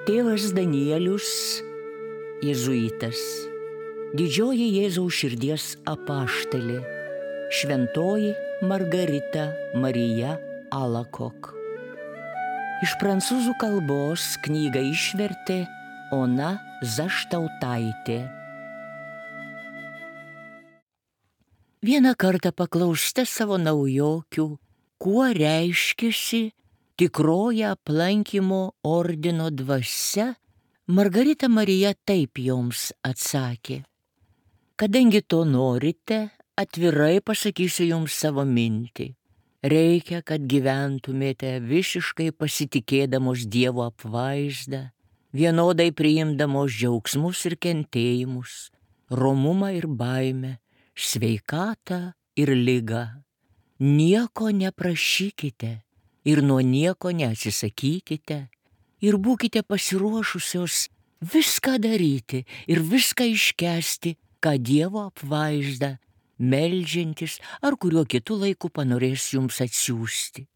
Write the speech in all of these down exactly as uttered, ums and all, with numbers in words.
Tėvas Danielius, jėzuitas, didžioji Jėzaus širdies apaštalė, šventoji Margarita Marija Alakok. Iš prancūzų kalbos knygą išvertė Ona Zaštautaitė. Vieną kartą paklausta savo naujokių, kuo reiškiasi tikroji aplankymo ordino dvasia, Margarita Marija taip joms atsakė: kadangi to norite, atvirai pasakysiu jums savo mintį. Reikia, kad gyventumėte visiškai pasitikėdamos Dievo apvaizdą, vienodai priimdamos džiaugsmus ir kentėjimus, romumą ir baimę, sveikatą ir ligą. Nieko neprašykite ir nuo nieko neatsisakykite ir būkite pasiruošusios viską daryti ir viską iškęsti, ką Dievo apvaizda, meldžiantis ar kuriuo kitu laiku panorės jums atsiųsti.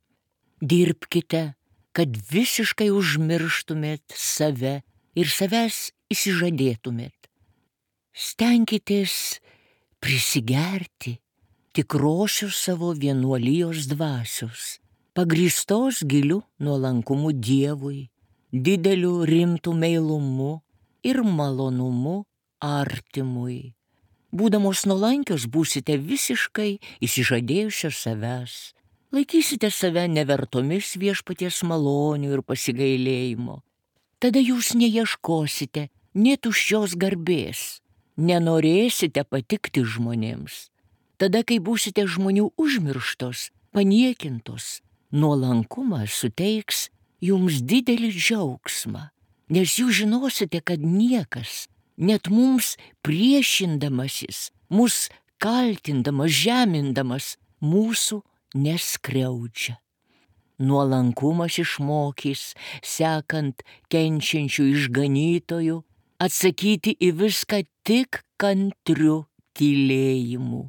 Dirbkite, kad visiškai užmirštumėt save ir savęs išsižadėtumėt. Stenkitės prisigerti tikrosios savo vienuolijos dvasios, pagrįstos giliu nuolankumu Dievui, dideliu rimtu meilumu ir malonumu artimui. Būdamos nuolankios būsite visiškai išsižadėjusios savęs, laikysite save nevertomis viešpaties malonių ir pasigailėjimo. Tada jūs neieškosite nė tuščios garbės, nenorėsite patikti žmonėms. Tada, kai būsite žmonių užmirštos, paniekintos, nuolankumas suteiks jums didelį džiaugsmą, nes jūs žinosite, kad niekas, net mums priešindamasis, mus kaltindamas, žemindamas, mūsų neskriaudžia. Nuolankumas išmokys, sekant kenčiančių išganytojų, atsakyti į viską tik kantriu tylėjimu.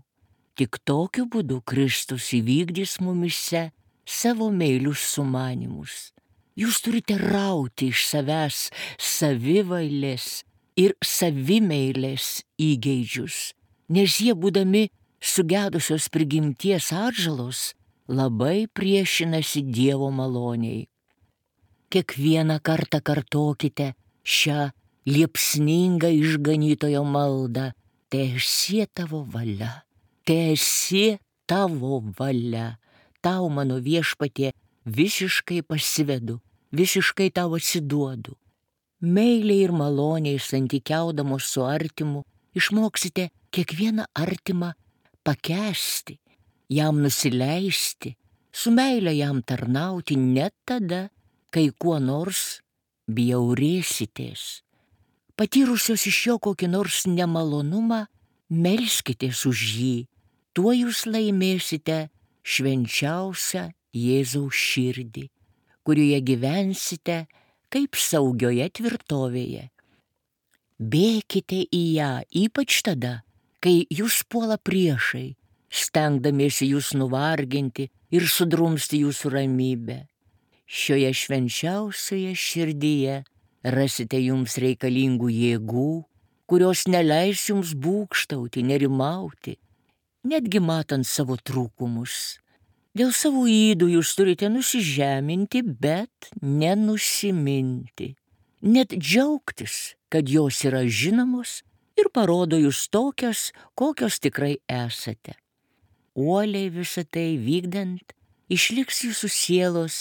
Tik tokiu būdu Kristus įvykdys mumyse savo meilius sumanymus. Jūs turite rauti iš savęs savivailės ir savimeilės įgeidžius, nes jie, būdami sugedusios prigimties atžalos, labai priešinasi Dievo maloniai. Kiekvieną kartą kartokite šią liepsningą išganytojo maldą: teesie tavo valia, teesie tavo valia. Tau, mano viešpatie, visiškai pasivedu, visiškai tau atsiduodu. Meiliai ir maloniai santykiaudamos su artimu, išmoksite kiekvieną artimą pakęsti, jam nusileisti, su meile jam tarnauti net tada, kai kuo nors bjaurėsitės. Patyrusios iš jo kokį nors nemalonumą, melskitės už jį, tuo jūs laimėsite švenčiausią Jėzaus širdį, kurioje gyvensite kaip saugioje tvirtovėje. Bėkite į ją, ypač tada, kai jūs puola priešai, stengdamiesi jūs nuvarginti ir sudrumsti jūsų ramybę. Šioje švenčiausioje širdyje rasite jums reikalingų jėgų, kurios neleis jums būgštauti, nerimauti, netgi matant savo trūkumus. Dėl savo ydų jūs turite nusižeminti, bet nenusiminti. Net džiaugtis, kad jos yra žinomos ir parodo jūs tokios, kokios tikrai esate. Uoliai visą tai vykdant, išliks jūsų sielos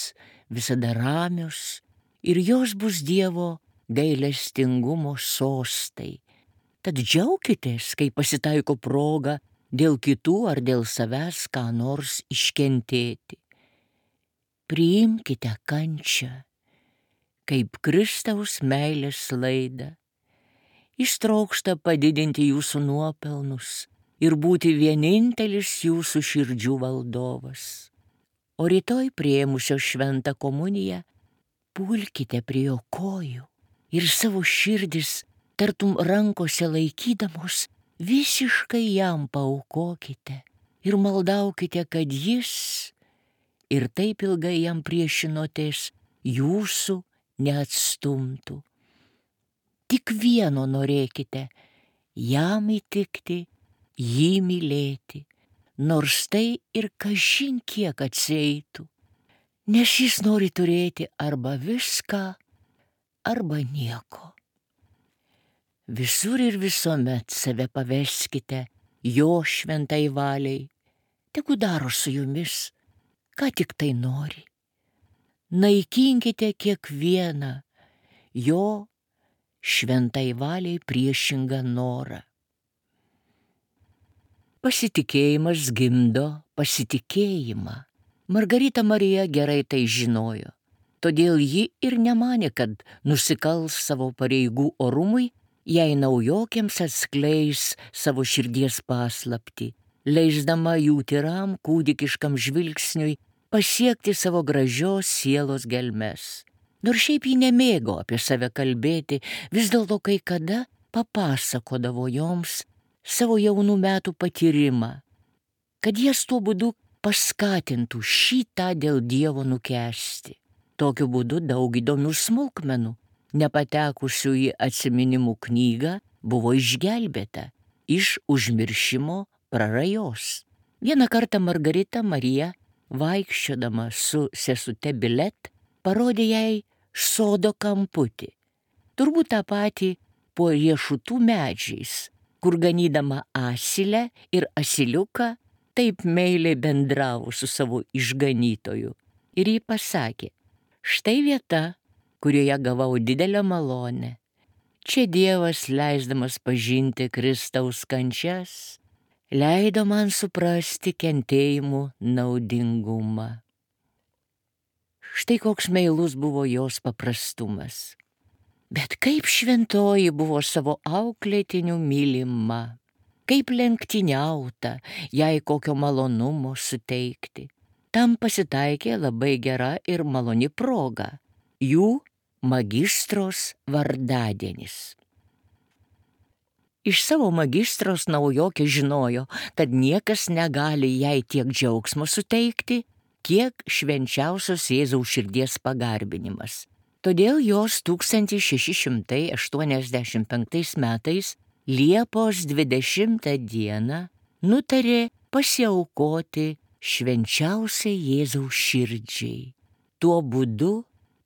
visada ramios ir jos bus Dievo gailestingumo sostai. Tad džiaukitės, kai pasitaiko proga dėl kitų ar dėl savęs ką nors iškentėti. Priimkite kančią kaip Kristaus meilės laidą. Jis trokšta padidinti jūsų nuopelnus ir būti vienintelis jūsų širdžių valdovas. O rytoj priėmusios šventą komuniją pulkite prie jo kojų ir savo širdis tartum rankose laikydamos visiškai jam paaukokite ir maldaukite, kad jis ir taip ilgai jam priešinotės jūsų neatstumtų. Tik vieno norėkite – jam įtikti, jį mylėti, nors tai ir kažin kiek atsieitų, nes jis nori turėti arba viską, arba nieko. Visur ir visuomet save paveskite jo šventai valiai, tegu daro su jumis, ką tik tai nori. Naikinkite kiekvieną jo šventai valiai priešingą norą. Pasitikėjimas gimdo pasitikėjimą. Margarita Marija gerai tai žinojo, todėl ji ir nemanė, kad nusikals savo pareigų orumui, jei naujokėms atskleis savo širdies paslaptį, leisdama jų tyram kūdikiškam žvilgsniui pasiekti savo gražios sielos gelmes. Nors šiaip ji nemėgo apie save kalbėti, vis dėlto kai kada papasakodavo joms savo jaunų metų patyrimą, kad jas tuo būdu paskatintų šį tą dėl Dievo nukęsti. Tokiu būdu daug įdomių smulkmenų, nepatekusių į atsiminimų knygą, buvo išgelbėta iš užmiršimo prarajos. Vieną kartą Margarita Marija, vaikščiodama su sesute Bilet, parodė jai sodo kamputį, turbūt tą patį po riešutų medžiais, kur ganydama asilę ir asiliuką taip meiliai bendravo su savo išganytoju. Ir ji pasakė, štai vieta, kurioje gavau didelę malonę. Čia Dievas, leisdamas pažinti Kristaus kančias, leido man suprasti kentėjimų naudingumą. Štai koks meilus buvo jos paprastumas. Bet kaip šventoji buvo savo auklėtinių mylima, kaip lenktyniauta, jai kokio malonumo suteikti. Tam pasitaikė labai gera ir maloni proga – jų magistros vardadienis. Iš savo magistros naujokė žinojo, kad niekas negali jai tiek džiaugsmo suteikti, kiek švenčiausios Jėzaus širdies pagarbinimas. Todėl jos tūkstantis šeši šimtai aštuoniasdešimt penktais metais Liepos dvidešimtą dieną nutarė pasiaukoti švenčiausiai Jėzaus širdžiai. Tuo būdu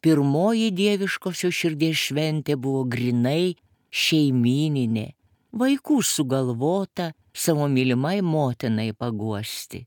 pirmoji dieviškosios širdies šventė buvo grinai šeimyninė, vaikų sugalvota savo mylimai motinai paguosti.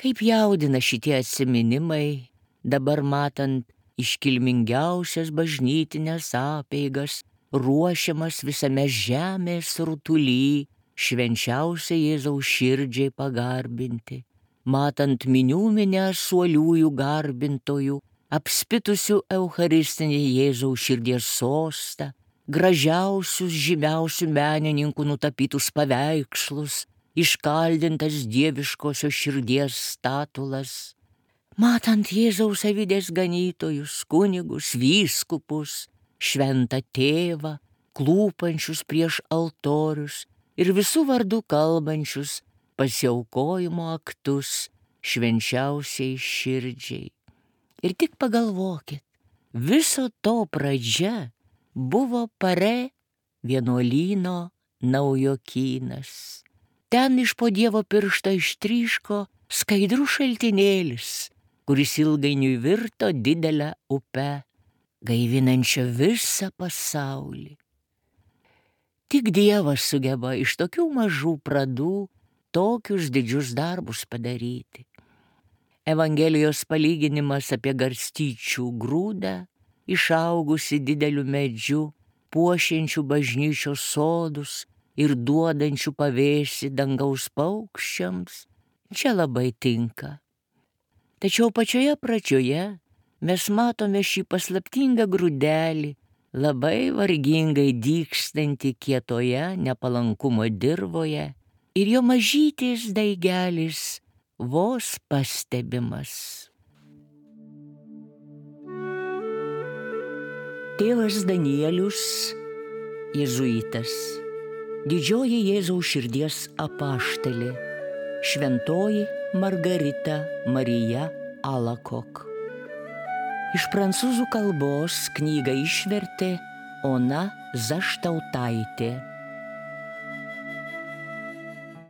Kaip jaudina šitie atsiminimai, dabar matant iškilmingiausias bažnytinės apeigas, ruošiamas visame žemės rutuly, švenčiausiai Jėzaus širdžiai pagarbinti, matant minių minią suoliųjų garbintojų, apspitusių eucharistinį Jėzaus širdies sostą, gražiausius žymiausių menininkų nutapytus paveikslus, iškaldintas dieviškosios širdies statulas, matant Jėzaus avydės ganytojus, kunigus, vyskupus, šventą tėvą, klūpančius prieš altorius ir visų vardų kalbančius pasiaukojimo aktus švenčiausiai širdžiai. Ir tik pagalvokit, viso to pradžia buvo Pare vienuolyno naujokynas. Ten iš po Dievo piršto ištryško skaidrus šaltinėlis, kuris ilgainiui virto didelę upę, gaivinančią visą pasaulį. Tik Dievas sugeba iš tokių mažų pradų tokius didžius darbus padaryti. Evangelijos palyginimas apie garstyčių grūdą, išaugusi dideliu medžiu, puošiančių bažnyčios sodus ir duodančių pavėsį dangaus paukščiams, čia labai tinka. Tačiau pačioje pradžioje mes matome šį paslaptingą grūdelį, labai vargingai dygstantį kietoje nepalankumo dirvoje, ir jo mažytis daigelis vos pastebimas. Tėvas Danielius, jėzuitas, didžioji Jėzaus širdies apaštalė, šventoji Margarita Marija Alakok. Iš prancūzų kalbos knygą išvertė Ona Zaštautaitė.